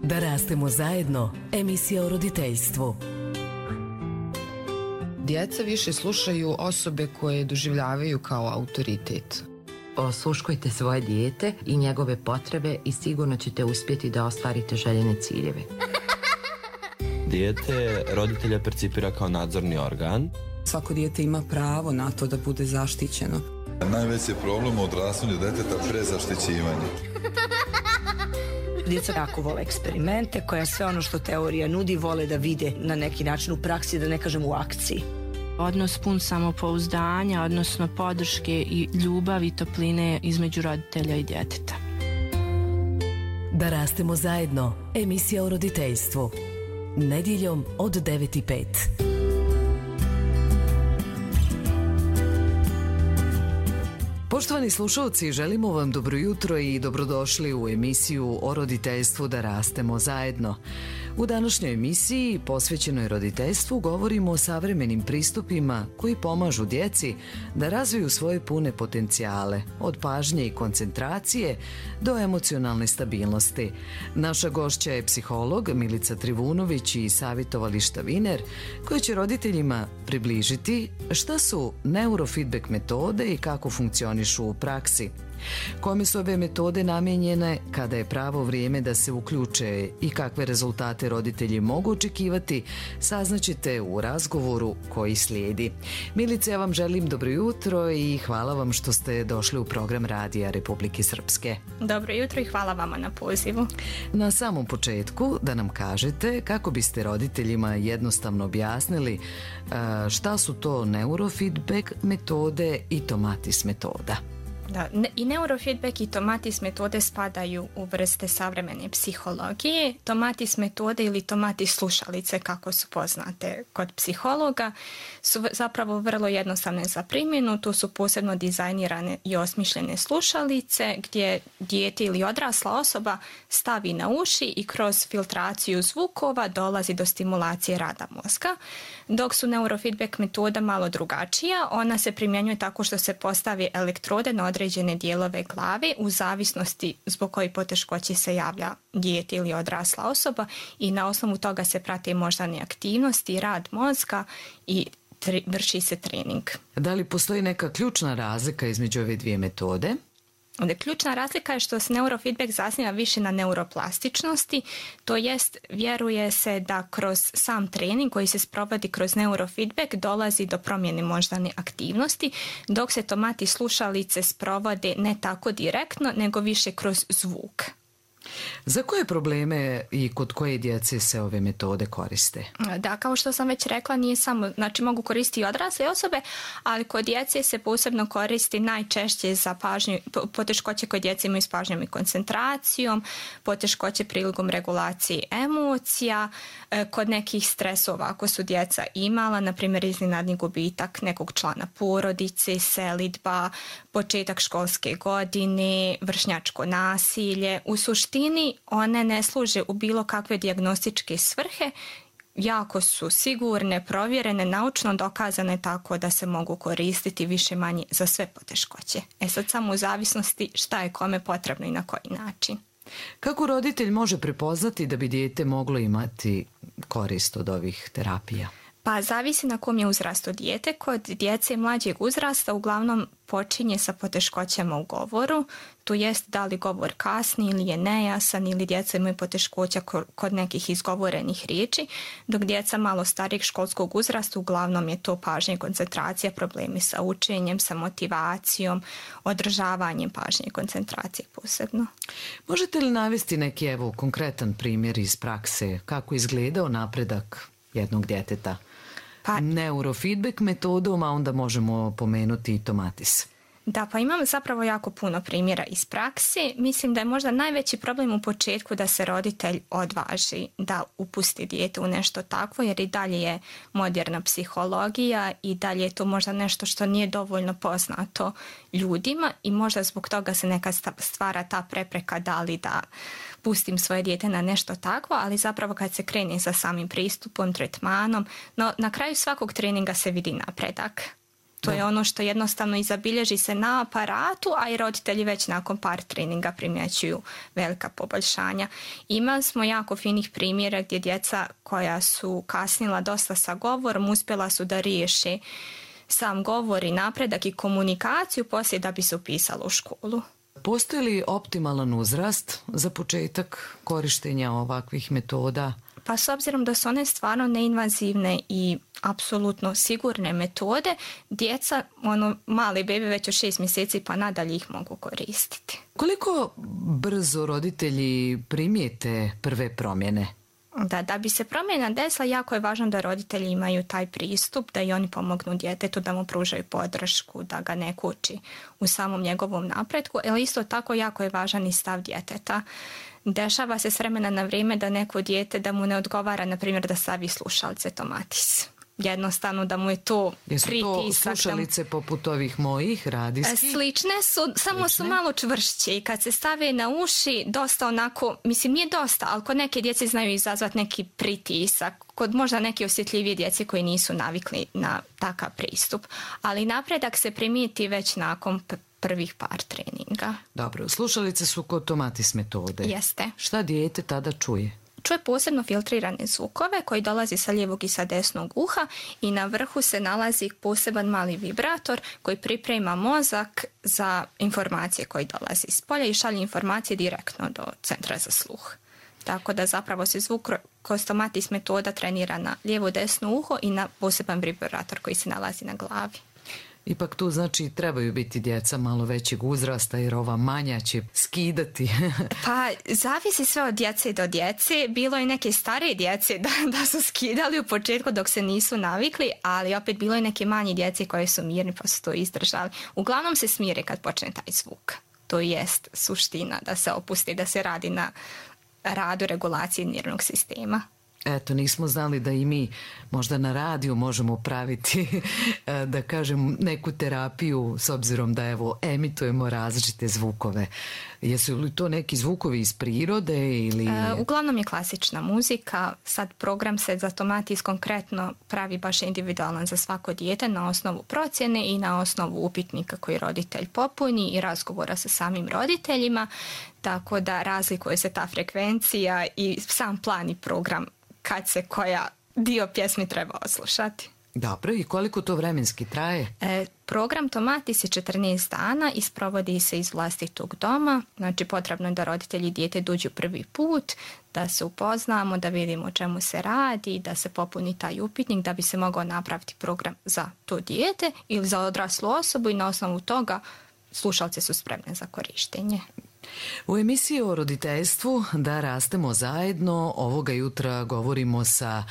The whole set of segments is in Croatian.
Da rastemo zajedno, emisija o roditeljstvu. Djeca više slušaju osobe koje doživljavaju kao autoritet. Osluškujte svoje dijete i njegove potrebe i sigurno ćete uspjeti da ostvarite željene ciljeve. Dijete roditelja percipira kao nadzorni organ. Svako dijete ima pravo na to da bude zaštićeno. Najveći problem u odrastanju djeteta prezaštićivanje. Djeca jako vole eksperimente, koja sve ono što teorija nudi vole da vide na neki način u praksi, da ne kažem u akciji. Odnos pun samopouzdanja, odnosno podrške i ljubavi i topline između roditelja i djeteta. Da rastemo zajedno, emisija o roditeljstvu. Nedjeljom od 9:05. Poštovani slušalci, želimo vam dobro jutro i dobrodošli u emisiju o roditeljstvu Da rastemo zajedno. U današnjoj emisiji posvećenoj roditeljstvu govorimo o savremenim pristupima koji pomažu djeci da razviju svoje pune potencijale, od pažnje i koncentracije do emocionalne stabilnosti. Naša gošća je psiholog Milica Trivunović iz savjetovališta Viner, koji će roditeljima približiti šta su neurofeedback metode i kako funkcionišu u praksi. Kome su ove metode namijenjene, kada je pravo vrijeme da se uključe i kakve rezultate roditelji mogu očekivati, saznaćete u razgovoru koji slijedi. Milice, ja vam želim dobro jutro i hvala vam što ste došli u program Radija Republike Srpske. Dobro jutro i hvala vama na pozivu. Na samom početku da nam kažete kako biste roditeljima jednostavno objasnili šta su to neurofeedback metode i Tomatis metoda. Da, i neurofeedback i Tomatis metode spadaju u vrste savremene psihologije. Tomatis metode ili Tomatis slušalice, kako su poznate kod psihologa, su zapravo vrlo jednostavne za primjenu. Tu su posebno dizajnirane i osmišljene slušalice gdje dijete ili odrasla osoba stavi na uši i kroz filtraciju zvukova dolazi do stimulacije rada mozga. Dok su neurofeedback metoda malo drugačija, ona se primjenjuje tako što se postavi elektrode na određene dijelove glave u zavisnosti zbog kojih poteškoći se javlja dijete ili odrasla osoba i na osnovu toga se prate moždane aktivnosti, rad mozga i vrši se trening. Da li postoji neka ključna razlika između ove dvije metode? Ključna razlika je što se neurofeedback zasniva više na neuroplastičnosti, to jest vjeruje se da kroz sam trening koji se sprovodi kroz neurofeedback dolazi do promjene moždane aktivnosti, dok se Tomatis slušalice sprovode ne tako direktno, nego više kroz zvuk. Za koje probleme i kod koje djece se ove metode koriste? Da, kao što sam već rekla, nije samo, znači mogu koristiti i odrasle osobe, ali kod djece se posebno koristi najčešće za pažnju, poteškoće kod djece imaju s pažnjom i koncentracijom, poteškoće prilikom regulacije emocija, kod nekih stresova ako su djeca imala, na primjer iznenadni gubitak nekog člana porodice, selidba, početak školske godine, vršnjačko nasilje. U suštini one ne služe u bilo kakve dijagnostičke svrhe, jako su sigurne, provjerene, naučno dokazane tako da se mogu koristiti više manje za sve poteškoće. Sad samo u zavisnosti šta je kome potrebno i na koji način. Kako roditelj može prepoznati da bi dijete moglo imati korist od ovih terapija? Pa zavisi na kom je uzrastu dijete. Kod djece mlađeg uzrasta uglavnom počinje sa poteškoćama u govoru, to jest da li govor kasni ili je nejasan ili djeca imaju poteškoća kod nekih izgovorenih riječi, dok djeca malo starijeg školskog uzrasta uglavnom je to pažnja i koncentracija, problemi sa učenjem, sa motivacijom, održavanjem pažnje i koncentracije posebno. Možete li navesti neki konkretan primjer iz prakse kako izgledao napredak jednog djeteta? Neurofeedback metodom, a onda možemo pomenuti i Tomatis. Da, pa imam zapravo jako puno primjera iz prakse. Mislim da je možda najveći problem u početku da se roditelj odvaži da upusti dijete u nešto takvo, jer i dalje je moderna psihologija i dalje je to možda nešto što nije dovoljno poznato ljudima i možda zbog toga se nekad stvara ta prepreka da li da pustim svoje dijete na nešto takvo, ali zapravo kad se krene sa samim pristupom, tretmanom, no na kraju svakog treninga se vidi napredak. To je ono što jednostavno i zabilježi se na aparatu, a i roditelji već nakon par treninga primjećuju velika poboljšanja. Imali smo jako finih primjera gdje djeca koja su kasnila dosta sa govorom uspjela su da riješe sam govor i napredak i komunikaciju poslije da bi se upisalo u školu. Postoji li optimalan uzrast za početak korištenja ovakvih metoda? Pa s obzirom da su one stvarno neinvazivne i apsolutno sigurne metode, djeca, mali bebe već od 6 mjeseci pa nadalje ih mogu koristiti. Koliko brzo roditelji primijete prve promjene? Da bi se promjena desila, jako je važno da roditelji imaju taj pristup, da i oni pomognu djetetu, da mu pružaju podršku, da ga ne kući u samom njegovom napretku, ali isto tako jako je važan i stav djeteta. Dešava se s vremena na vrijeme da neko dijete da mu ne odgovara, na primjer, da stavi slušalice Tomatis. Jednostavno da mu je to pritisak. Jesu to slušalice poput ovih mojih radijskih? Slične su, samo su malo čvršće i kad se stave na uši dosta onako, mislim nije dosta, ali kod neke djece znaju izazvati neki pritisak, kod možda neke osjetljivije djece koji nisu navikli na takav pristup. Ali napredak se primijeti već nakon prvih par treninga. Dobro, slušalice su kod Tomatis metode. Jeste. Šta dijete tada čuje? Čuje posebno filtrirane zvukove koji dolazi sa lijevog i sa desnog uha i na vrhu se nalazi poseban mali vibrator koji priprema mozak za informacije koje dolazi iz polja i šalje informacije direktno do centra za sluh. Tako da zapravo se zvuk kroz Tomatis metoda trenira na lijevo desno uho i na poseban vibrator koji se nalazi na glavi. Ipak tu znači trebaju biti djeca malo većeg uzrasta jer ova manja će skidati. Pa zavisi sve od djece do djece. Bilo je neke starije djece da su skidali u početku dok se nisu navikli, ali opet bilo je neke manje djece koje su mirni pa su to izdržali. Uglavnom se smire kad počne taj zvuk. To jest suština da se opusti, da se radi na radu regulacije nervnog sistema. Eto, nismo znali da i mi možda na radiju možemo praviti, da kažem, neku terapiju s obzirom da evo emitujemo različite zvukove. Jesu li to neki zvukovi iz prirode ili... Uglavnom je klasična muzika. Sad program se za Tomatis konkretno pravi baš individualan za svako dijete na osnovu procjene i na osnovu upitnika koji roditelj popuni i razgovora sa samim roditeljima. Tako da razlikuje se ta frekvencija i sam plan i program kad se koja dio pjesmi treba oslušati. Dobro, i koliko to vremenski traje? Program Tomatis je 14 dana i sprovodi se iz vlastitog doma. Znači potrebno je da roditelji i dijete dođu prvi put, da se upoznamo, da vidimo o čemu se radi, da se popuni taj upitnik da bi se mogao napraviti program za to dijete ili za odraslu osobu i na osnovu toga slušalice su spremne za korištenje. U emisiji o roditeljstvu Da rastemo zajedno ovoga jutra govorimo sa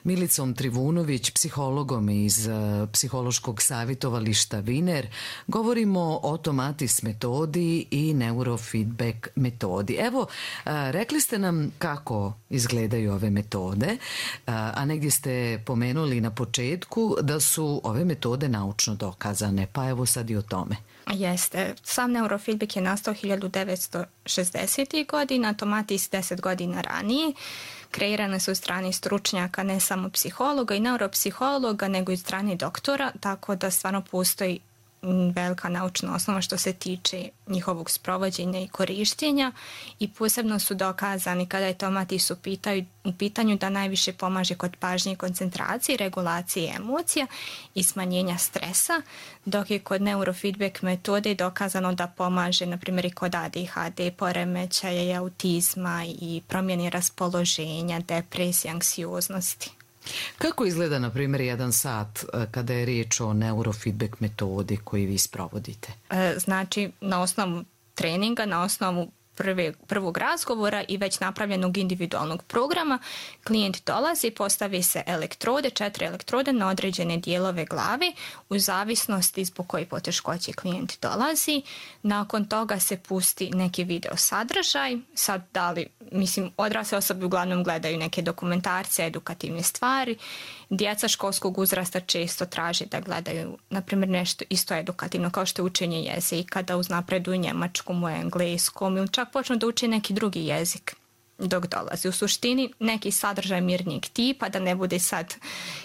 Milicom Trivunović, psihologom iz psihološkog savjetovališta Viner. Govorimo o Tomatis metodi i neurofeedback metodi. Evo, rekli ste nam kako izgledaju ove metode, a negdje ste pomenuli na početku da su ove metode naučno dokazane, pa evo sad i o tome. Jeste. Sam neurofeedback je nastao 1960. godina, Tomatis 10 godina ranije. Kreirane su od strane stručnjaka, ne samo psihologa i neuropsihologa, nego i od strane doktora, tako da stvarno postoji velika naučna osnova što se tiče njihovog sprovođenja i korištenja i posebno su dokazani kada je Tomatis u pitanju da najviše pomaže kod pažnje i koncentracije, regulacije emocija i smanjenja stresa, dok je kod neurofeedback metode dokazano da pomaže na primjer i kod ADHD, poremećaja i autizma i promjene raspoloženja, depresije, anksioznosti. Kako izgleda, na primjer, jedan sat kada je riječ o neurofeedback metodi koji vi sprovodite? Znači, na osnovu treninga, na osnovu prvog razgovora i već napravljenog individualnog programa, klijent dolazi, postavi se elektrode, 4 elektrode na određene dijelove glave u zavisnosti zbog koje poteškoće klijent dolazi. Nakon toga se pusti neki video sadržaj. Sad odrasle osobe uglavnom gledaju neke dokumentarce, edukativne stvari. Djeca školskog uzrasta često traže da gledaju, na primjer, nešto isto edukativno kao što je učenje jezika, da uznapreduju njemačkom, engleskom ili čak počnu da uče neki drugi jezik. dok dolazi. U suštini neki sadržaj mirnijeg tipa, da ne bude sad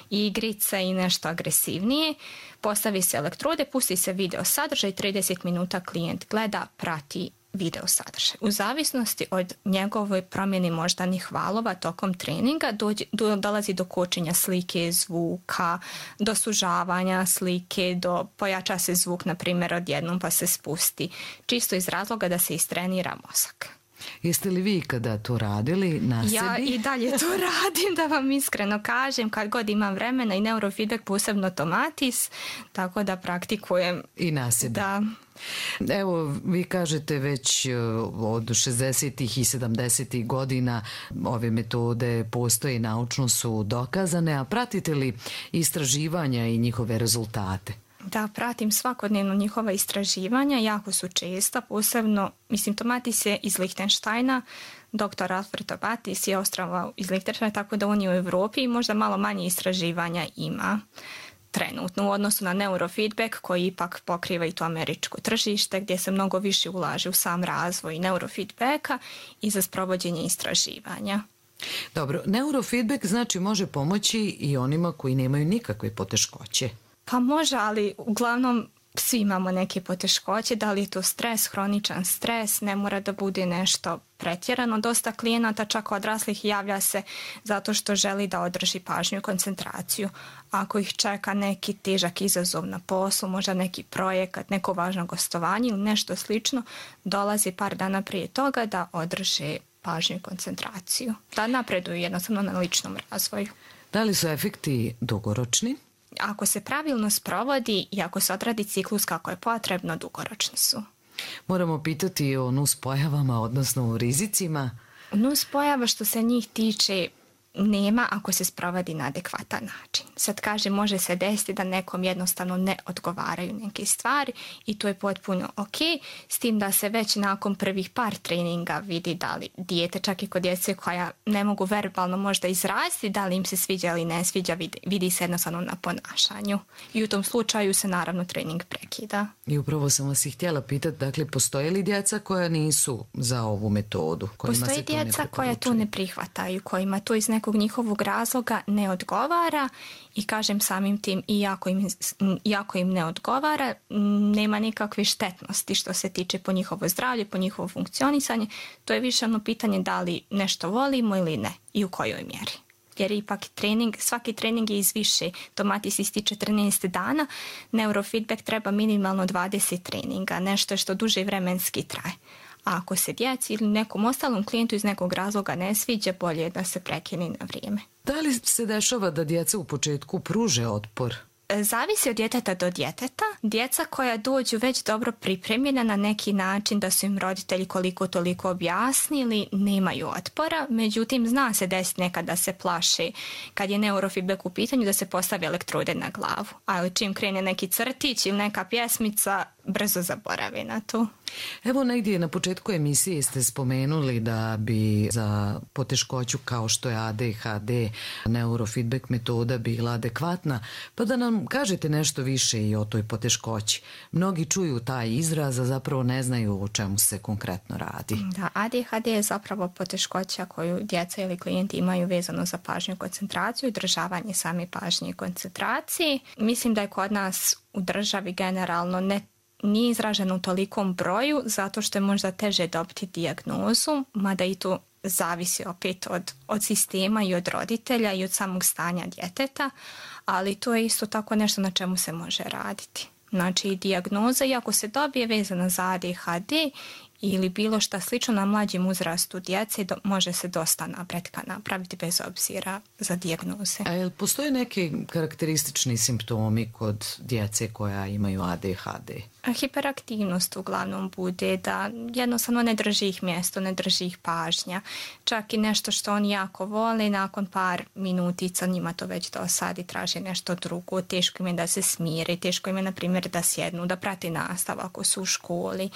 igrice i nešto agresivnije. Postavi se elektrode, pusti se video sadržaj, 30 minuta klijent gleda, prati video sadržaj. U zavisnosti od njegove promjene moždanih valova tokom treninga dolazi do kočenja slike, zvuka, do sužavanja slike, pojača se zvuk, na primjer, odjednom pa se spusti. Čisto iz razloga da se istrenira mozak. Jeste li vi kada to radili na sebi? Ja i dalje to radim, da vam iskreno kažem, kad god imam vremena, i neurofeedback, posebno tomatis, tako da praktikujem. I na sebi. Da. Evo, vi kažete već od 60. i 70. godina ove metode postoje i naučno su dokazane, a pratite li istraživanja i njihove rezultate? Da, pratim svakodnevno njihova istraživanja, jako su česta, posebno, Tomatis je iz Lichtensteina, dr. Alfred Tomatis je Ostrava iz Lichtensteina, tako da on je u Europi i možda malo manje istraživanja ima trenutno u odnosu na neurofeedback koji ipak pokriva i to američko tržište gdje se mnogo više ulaže u sam razvoj neurofeedbacka i za sprovođenje istraživanja. Dobro, neurofeedback znači može pomoći i onima koji nemaju nikakve poteškoće. Pa može, ali uglavnom svi imamo neke poteškoće, da li je to stres, hroničan stres, ne mora da bude nešto pretjerano. Dosta klijenata, čak odraslih, javlja se zato što želi da održi pažnju i koncentraciju. Ako ih čeka neki težak izazov na poslu, možda neki projekat, neko važno gostovanje ili nešto slično, dolazi par dana prije toga da održe pažnju i koncentraciju. Da napreduju jednostavno na ličnom razvoju. Da li su efekti dugoročni? Ako se pravilno sprovodi i ako se odradi ciklus kako je potrebno, dugoročni su. Moramo pitati o nuspojavama, odnosno o rizicima. Nuspojava što se njih tiče nema ako se sprovodi na adekvatan način. Sad kažem, može se desiti da nekom jednostavno ne odgovaraju neke stvari i to je potpuno ok, s tim da se već nakon prvih par treninga vidi da li dijete, čak i kod djece koja ne mogu verbalno možda izraziti da li im se sviđa ili ne sviđa, vidi se jednostavno na ponašanju. I u tom slučaju se naravno trening prekida. I upravo sam vas i htjela pitati, dakle, postoje li djeca koja nisu za ovu metodu? Postoje djeca koja to ne prihvataju, kojima to iz nekog njihovog razloga ne odgovara i kažem samim tim iako im ne odgovara, nema nikakve štetnosti što se tiče po njihovo zdravlje, po njihovo funkcionisanje. To je više ono pitanje da li nešto volimo ili ne i u kojoj mjeri. Jer ipak svaki trening je iz više. Tomatis ističe 14 dana, neurofeedback treba minimalno 20 treninga, nešto što duže vremenski traje. A ako se djeci ili nekom ostalom klijentu iz nekog razloga ne sviđa, bolje je da se prekine na vrijeme. Da li se dešava da djeca u početku pruže otpor? Zavisi od djeteta do djeteta. Djeca koja dođu već dobro pripremljena na neki način da su im roditelji koliko toliko objasnili, nemaju otpora. Međutim, zna se desiti nekad da se plaše kad je neurofeedback u pitanju da se postavi elektrode na glavu. Ali čim krene neki crtić ili neka pjesmica, brzo zaboravi na to. Evo, negdje na početku emisije ste spomenuli da bi za poteškoću kao što je ADHD neurofeedback metoda bila adekvatna, pa da nam kažete nešto više i o toj poteškoći. Mnogi čuju taj izraz, a zapravo ne znaju o čemu se konkretno radi. Da, ADHD je zapravo poteškoća koju djeca ili klijenti imaju vezano za pažnju i koncentraciju i održavanje same pažnje i koncentracije. Mislim da je kod nas u državi generalno nije izraženo u tolikom broju zato što je možda teže dobiti dijagnozu, mada i to zavisi opet od sistema i od roditelja i od samog stanja djeteta, ali to je isto tako nešto na čemu se može raditi. Znači, dijagnoza, iako se dobije vezana za ADHD ili bilo šta slično na mlađim uzrastu djece, može se dosta napretka napraviti bez obzira za dijagnoze. A jel postoje neki karakteristični simptomi kod djece koja imaju ADHD? Hiperaktivnost uglavnom bude, da jednostavno ne drži ih mjesto, ne drži ih pažnja. Čak i nešto što oni jako vole, nakon par minutica njima to već dosadi, traže nešto drugo, teško im je da se smire, teško im je, na primjer, da sjednu, da prati nastavu ako su u školi.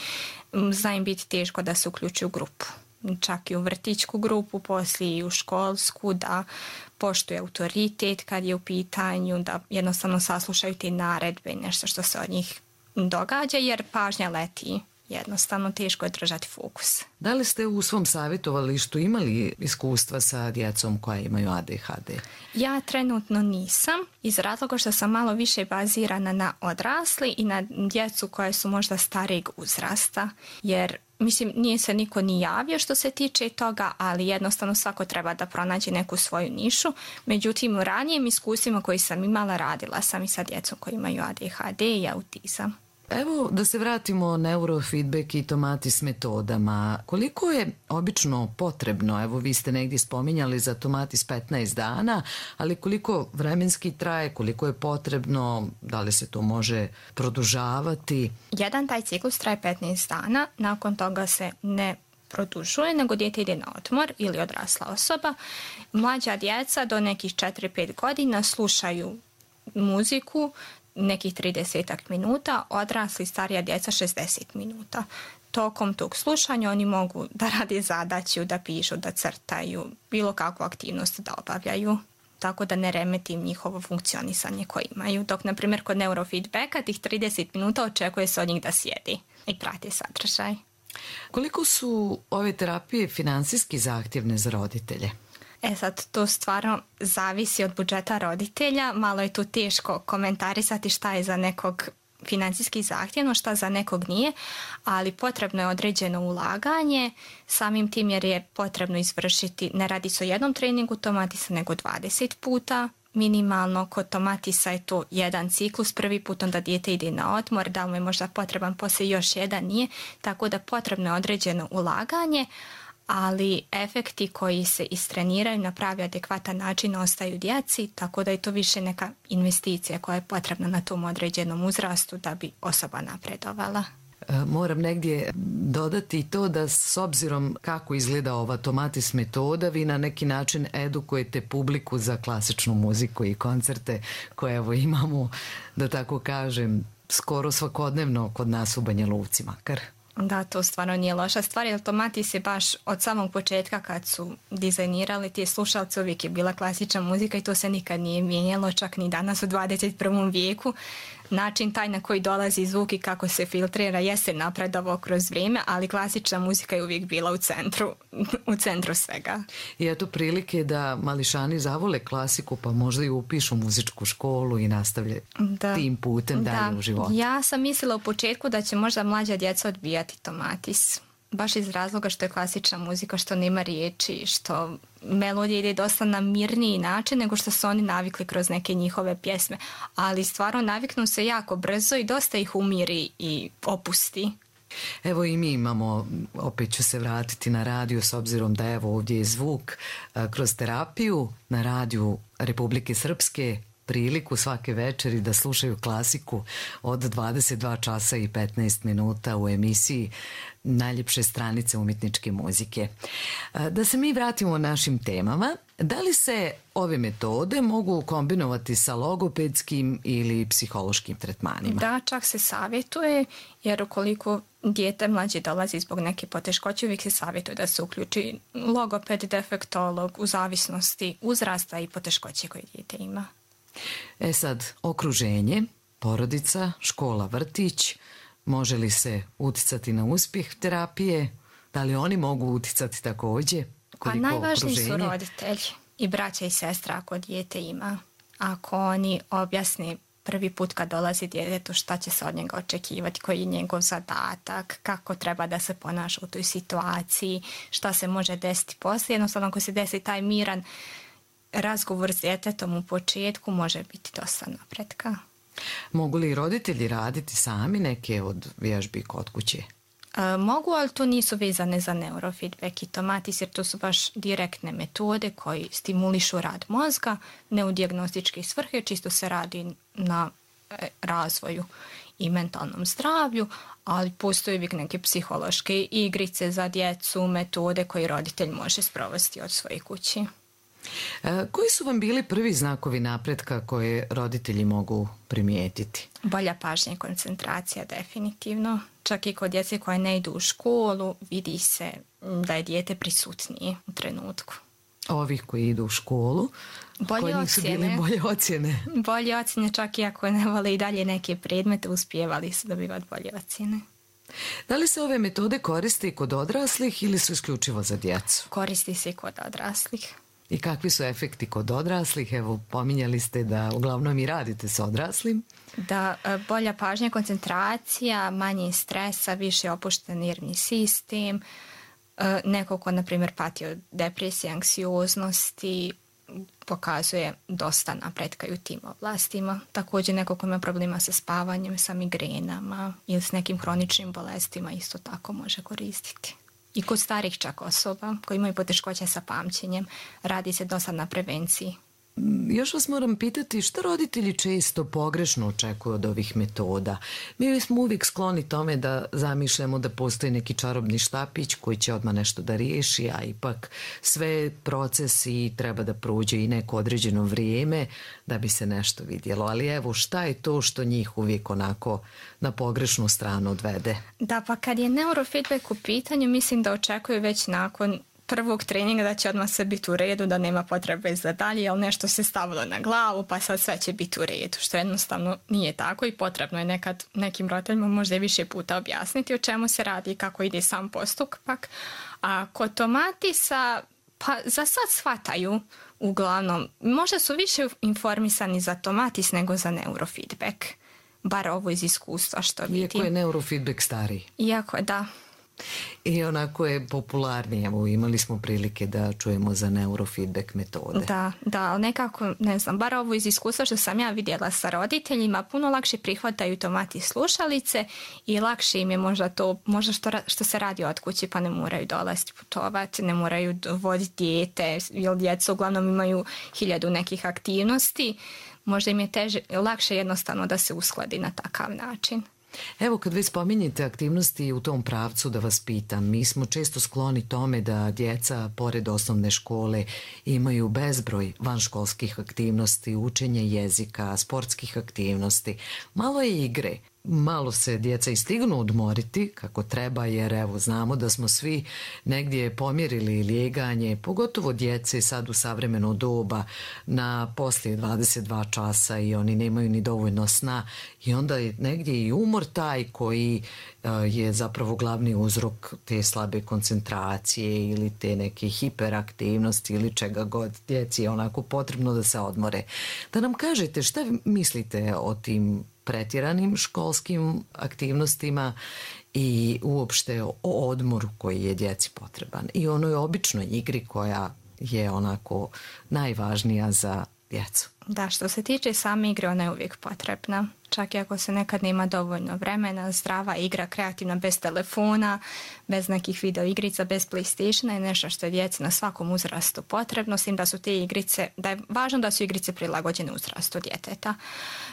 Zna im biti teško da se uključuju u grupu. Čak i u vrtićku grupu, poslije i u školsku, da poštuje autoritet kad je u pitanju, da jednostavno saslušaju te naredbe i nešto što se od njih događa, jer pažnja leti jednostavno teško je držati fokus. Da li ste u svom savjetovalištu imali iskustva sa djecom koja imaju ADHD? Ja trenutno nisam, iz razloga što sam malo više bazirana na odrasli i na djecu koja su možda starijeg uzrasta, jer mislim, nije se niko ni javio što se tiče toga, ali jednostavno svako treba da pronađe neku svoju nišu. Međutim, u ranijim iskustvima koji sam imala, radila sam i sa djecom koji imaju ADHD i autizam. Evo da se vratimo neurofeedback i tomatis metodama. Koliko je obično potrebno, evo vi ste negdje spominjali za tomatis 15 dana, ali koliko vremenski traje, koliko je potrebno, da li se to može produžavati? Jedan taj ciklus traje 15 dana, nakon toga se ne produžuje, nego dijete ide na odmor ili odrasla osoba. Mlađa djeca do nekih 4-5 godina slušaju muziku, nekih 30 minuta, odrasli starija djeca 60 minuta. Tokom tog slušanja oni mogu da rade zadaću, da pišu, da crtaju, bilo kakvu aktivnost da obavljaju, tako da ne remetim njihovo funkcionisanje koje imaju. Dok, na primjer, kod neurofeedbacka tih 30 minuta očekuje se od njih da sjedi i prati sadržaj. Koliko su ove terapije finansijski zahtjevne za roditelje? Sad, to stvarno zavisi od budžeta roditelja. Malo je tu teško komentarisati šta je za nekog financijski zahtjevno, šta za nekog nije, ali potrebno je određeno ulaganje, samim tim jer je potrebno izvršiti, ne radi se o jednom treningu tomatisa, nego 20 puta. Minimalno kod tomatisa je to jedan ciklus, prvi put onda dijete ide na odmor, da li mu je možda potreban poslije još jedan, nije, tako da potrebno je određeno ulaganje, ali efekti koji se istreniraju na pravi adekvatan način ostaju djeci, tako da je to više neka investicija koja je potrebna na tom određenom uzrastu da bi osoba napredovala. Moram negdje dodati to da s obzirom kako izgleda ova tomatis metoda, vi na neki način edukujete publiku za klasičnu muziku i koncerte koje evo imamo, da tako kažem, skoro svakodnevno kod nas u Banja Luci makar. Da, to stvarno nije loša stvar, jer tomatis je baš od samog početka kad su dizajnirali te slušalce uvijek je bila klasična muzika i to se nikad nije mijenjalo, čak ni danas u 21. vijeku. Način taj na koji dolazi zvuk i kako se filtrira jeste napredovao kroz vrijeme, ali klasična muzika je uvijek bila u centru svega. I eto prilike da mališani zavole klasiku pa možda i upišu muzičku školu i nastavlje tim putem dalje u životu. Ja sam mislila u početku da će možda mlađa djeca odbijati tomatis. Baš iz razloga što je klasična muzika, što nema riječi, što melodija ide dosta na mirniji način nego što su oni navikli kroz neke njihove pjesme. Ali stvarno naviknu se jako brzo i dosta ih umiri i opusti. Evo i mi imamo, opet ću se vratiti na radiju s obzirom da evo ovdje je zvuk kroz terapiju na radiju Republike Srpske, priliku svake večeri da slušaju klasiku od 22 časa i 15 minuta u emisiji Najljepše stranice umjetničke muzike. Da se mi vratimo našim temama, da li se ove metode mogu kombinovati sa logopedskim ili psihološkim tretmanima? Da, čak se savjetuje, jer ukoliko dijete mlađe dolazi zbog neke poteškoće, uvijek se savjetuje da se uključi logoped, defektolog, u zavisnosti uzrasta i poteškoće koje dijete ima. Sad, okruženje, porodica, škola, vrtić, može li se uticati na uspjeh terapije? Da li oni mogu uticati također? Pa najvažniji su roditelji i braća i sestra ako dijete ima. Ako oni objasne prvi put kad dolazi djetetu šta će se od njega očekivati, koji je njegov zadatak, kako treba da se ponaša u toj situaciji, šta se može desiti poslije. Jednostavno ako se desi taj miran razgovor s djetetom u početku može biti dosta napretka. Mogu li roditelji raditi sami neke od vježbi kod kuće? Mogu, ali to nisu vezane za neurofeedback i tomatis, jer to su baš direktne metode koji stimulišu rad mozga, ne u dijagnostičke svrhe, čisto se radi na razvoju i mentalnom zdravlju, ali postoje uvijek neke psihološke igrice za djecu, metode koje roditelj može sprovesti od svoje kući. Koji su vam bili prvi znakovi napretka koje roditelji mogu primijetiti? Bolja pažnja i koncentracija definitivno. Čak i kod djece koje ne idu u školu vidi se da je dijete prisutnije u trenutku. Ovih koji idu u školu, koji nisu bili bolje ocjene? Bolje ocjene, čak i ako ne vole i dalje neke predmete, uspijevali su dobivati bolje ocjene. Da li se ove metode koriste i kod odraslih ili su isključivo za djecu? Koristi se i kod odraslih. I kakvi su efekti kod odraslih? Evo, pominjali ste da uglavnom i radite s odraslim. Da, bolja pažnja, koncentracija, manje stresa, više opušten nervni sistem, neko ko, na primjer, pati od depresije, anksioznosti, pokazuje dosta napretka i u tim oblastima. Također neko ko ima problema sa spavanjem, sa migrenama ili s nekim hroničnim bolestima isto tako može koristiti. I kod starih čak osoba koji imaju poteškoće sa pamćenjem radi se dosta na prevenciji. Još vas moram pitati što roditelji često pogrešno očekuju od ovih metoda. Mi smo uvijek skloni tome da zamišljamo da postoji neki čarobni štapić koji će odmah nešto da riješi, a ipak sve procesi treba da prođe i neko određeno vrijeme da bi se nešto vidjelo. Ali evo, šta je to što njih uvijek onako na pogrešnu stranu odvede? Da, pa kad je neurofeedback u pitanju, mislim da očekuju već nakon prvog treninga da će odmah sve biti u redu, da nema potrebe za dalje, jer nešto se stavilo na glavu, pa sad sve će biti u redu, što jednostavno nije tako i potrebno je nekad nekim roditeljima možda i više puta objasniti o čemu se radi i kako ide sam postupak. A kod tomatisa, pa za sad shvataju uglavnom, možda su više informisani za tomatis nego za neurofeedback, bar ovo iz iskustva što vidim. Iako je neurofeedback stariji. Iako je, da. I onako je popularnije. Evo, imali smo prilike da čujemo za neurofeedback metode. Da, ali nekako, ne znam, bar ovo iz iskustva što sam ja vidjela sa roditeljima, puno lakše prihvataju tomatis slušalice i lakše im je možda to, možda što se radi od kući, pa ne moraju dolaziti putovati, ne moraju voditi dijete, jer djeca uglavnom imaju 1000 nekih aktivnosti, možda im je lakše jednostavno da se uskladi na takav način. Evo, kad vi spominjete aktivnosti u tom pravcu, da vas pitam, mi smo često skloni tome da djeca pored osnovne škole imaju bezbroj vanškolskih aktivnosti, učenje jezika, sportskih aktivnosti, malo je igre. Malo se djeca i stignu odmoriti kako treba, jer evo znamo da smo svi negdje pomjerili lijeganje, pogotovo djece sad u savremeno doba na poslije 22 časa i oni nemaju ni dovoljno sna i onda je negdje i umor taj koji je zapravo glavni uzrok te slabe koncentracije ili te neke hiperaktivnosti ili čega god. Djeci je onako potrebno da se odmore. Da nam kažete šta mislite o tim pretjeranim školskim aktivnostima i uopšte o odmoru koji je djeci potreban i onoj običnoj igri koja je onako najvažnija za djecu. Da, što se tiče same igre, ona je uvijek potrebna. Čak i ako se nekad nema dovoljno vremena, zdrava igra, kreativna, bez telefona, bez nekih video igrica, bez PlayStationa je nešto što je djeci na svakom uzrastu potrebno, s tim da su te igrice, da je važno da su igrice prilagođene uzrastu djeteta.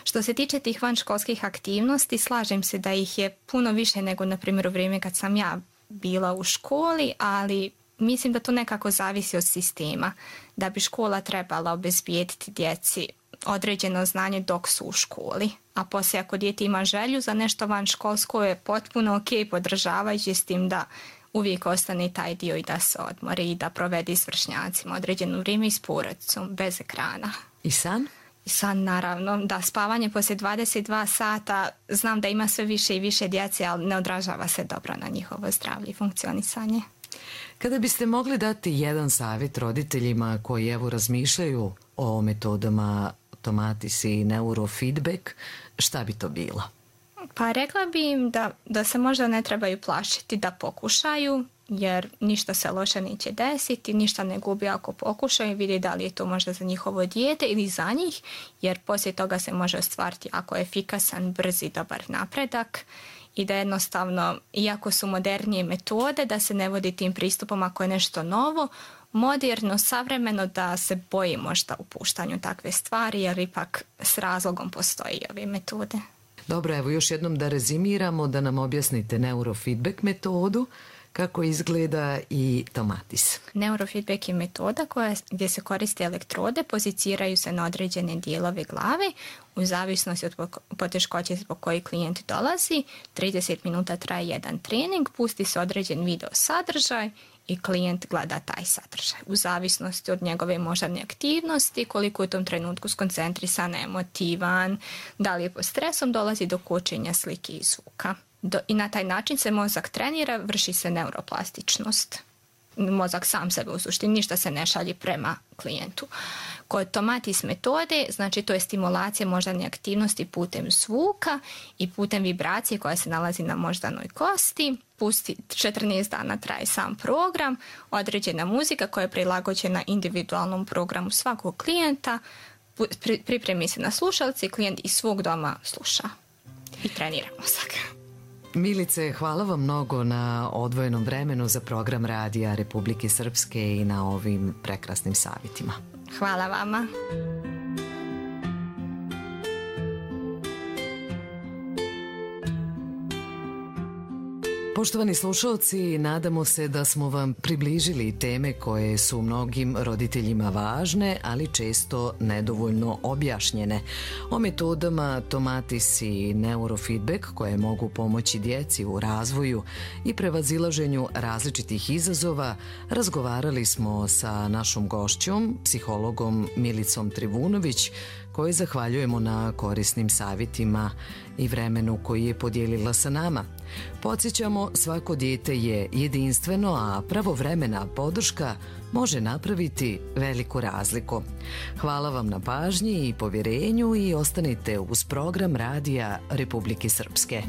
Što se tiče tih vanškolskih aktivnosti, slažem se da ih je puno više nego, na primjer, u vrijeme kad sam ja bila u školi, ali mislim da to nekako zavisi od sistema, da bi škola trebala obezbijediti djeci određeno znanje dok su u školi, a poslije ako dijete ima želju za nešto vanškolsko je potpuno ok, podržavajući s tim da uvijek ostane taj dio i da se odmori i da provede s vršnjacima određeno vrijeme i s porodicom, bez ekrana. I san? I san, naravno, da, spavanje poslije 22 sata, znam da ima sve više i više djece, ali ne odražava se dobro na njihovo zdravlje i funkcionisanje. Kada biste mogli dati jedan savjet roditeljima koji evo razmišljaju o metodama tomatis i neurofeedback, šta bi to bilo? Pa rekla bi im da se možda ne trebaju plašiti, da pokušaju, jer ništa se loše neće desiti, ništa ne gubi ako pokušaju i vidi da li je to možda za njihovo dijete ili za njih, jer poslije toga se može ostvariti ako je efikasan, brz i dobar napredak. I da jednostavno, iako su modernije metode, da se ne vodi tim pristupom ako je nešto novo, moderno, savremeno, da se boji možda upuštanju takve stvari, jer ipak s razlogom postoji ove metode. Dobro, evo još jednom da rezimiramo, da nam objasnite neurofeedback metodu, kako izgleda i tomatis. Neurofeedback je metoda gdje se koriste elektrode, poziciraju se na određene dijelove glave, u zavisnosti od poteškoće zbog koji klijent dolazi. 30 minuta traje jedan trening, pusti se određen video sadržaj i klijent gleda taj sadržaj. U zavisnosti od njegove moždane aktivnosti, koliko je u tom trenutku skoncentrisan, emotivan, da li je pod stresom, dolazi do kočenja slike i zvuka. I na taj način se mozak trenira, vrši se neuroplastičnost. Mozak sam sebe u suštini, ništa se ne šalje prema klijentu. Kod tomatis metode, znači to je stimulacija moždane aktivnosti putem zvuka i putem vibracije koja se nalazi na moždanoj kosti. 14 dana traje sam program, određena muzika koja je prilagođena individualnom programu svakog klijenta, pripremi se na slušalci, klijent iz svog doma sluša i trenira mozak. Milice, hvala vam mnogo na odvojenom vremenu za program Radija Republike Srpske i na ovim prekrasnim savjetima. Hvala vama. Poštovani slušalci, nadamo se da smo vam približili teme koje su mnogim roditeljima važne, ali često nedovoljno objašnjene. O metodama tomatis i neurofeedback koje mogu pomoći djeci u razvoju i prevazilaženju različitih izazova razgovarali smo sa našom gošćom, psihologom Milicom Trivunović, kojoj zahvaljujemo na korisnim savjetima i vremenu koji je podijelila sa nama. Podsjećamo, svako dijete je jedinstveno, a pravovremena podrška može napraviti veliku razliku. Hvala vam na pažnji i povjerenju i ostanite uz program Radija Republike Srpske.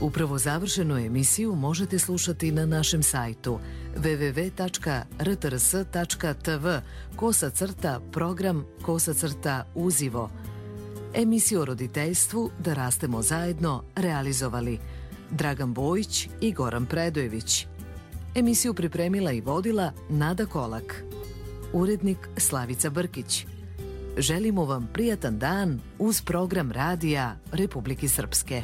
Upravo završenu emisiju možete slušati na našem sajtu www.rtrs.tv/program/uzivo. Emisiju o roditeljstvu Da rastemo zajedno realizovali Dragan Bojić i Goran Predojević. Emisiju pripremila i vodila Nada Kolak. Urednik Slavica Brkić. Želimo vam prijatan dan uz program Radija Republike Srpske.